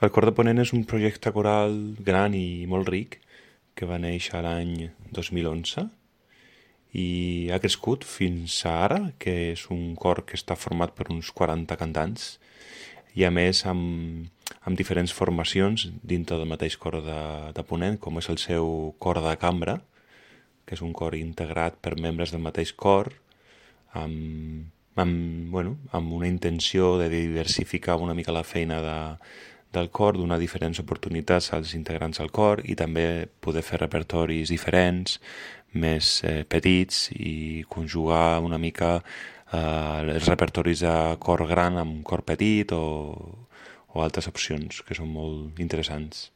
El Cor de Ponent és un projecte coral gran i molt ric que va néixer l'any 2011 i ha crescut fins a ara, que és un cor que està format per uns 40 cantants i a més amb diferents formacions dintre del mateix cor de Ponent, com és el seu cor de cambra, que és un cor integrat per membres del mateix cor, amb una intenció de diversificar una mica la feina del cor, donar diferents oportunitats als integrants del cor i també poder fer repertoris diferents, més petits i conjugar una mica els repertoris de cor gran amb cor petit o altres opcions que són molt interessants.